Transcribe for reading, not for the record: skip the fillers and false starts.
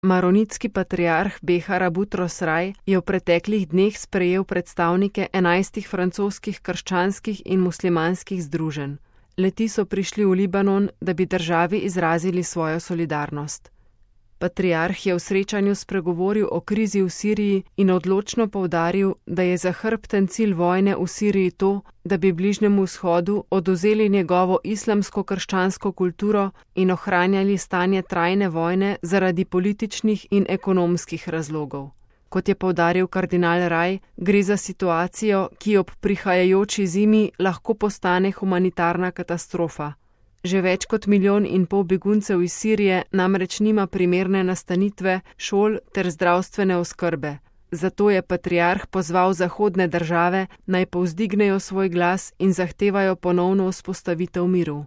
Maronitski patriarh Behar Butros Raj je v preteklih dneh sprejel predstavnike 11 francoskih krščanskih in muslimanskih združenj. Le-ti so prišli v Libanon, da bi državi izrazili svojo solidarnost. Patriarh je v srečanju spregovoril o krizi v Siriji in odločno poudaril, da je zahrbten cilj vojne v Siriji to, da bi Bližnjemu vzhodu odvzeli njegovo islamsko-krščansko kulturo in ohranjali stanje trajne vojne zaradi političnih in ekonomskih razlogov. Kot je poudaril kardinal Raj, gre za situacijo, ki ob prihajajoči zimi lahko postane humanitarna katastrofa. Že več kot 1,5 milijona beguncev iz Sirije namreč nima primerne nastanitve, šol ter zdravstvene oskrbe. Zato je patriarh pozval zahodne države, naj povzdignejo svoj glas in zahtevajo ponovno vzpostavitev miru.